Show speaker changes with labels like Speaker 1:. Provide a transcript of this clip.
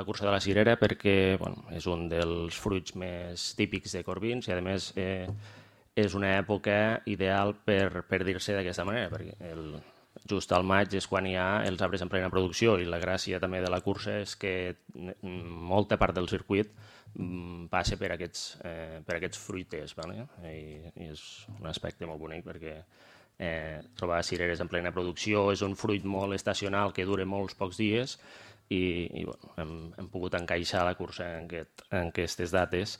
Speaker 1: la cursa de la cirera perquè és un dels fruits més típics de Corbins i, a més, és una època ideal per dir-se d'aquesta manera, perquè just al maig és quan hi ha els arbres en plena producció i la gràcia també de la cursa és que molta part del circuit passa per aquests fruiters, vale? I és un aspecte molt bonic perquè trobar cireres en plena producció és un fruit molt estacional que dura molts pocs dies i hem pogut encaixar la cursa en aquestes dates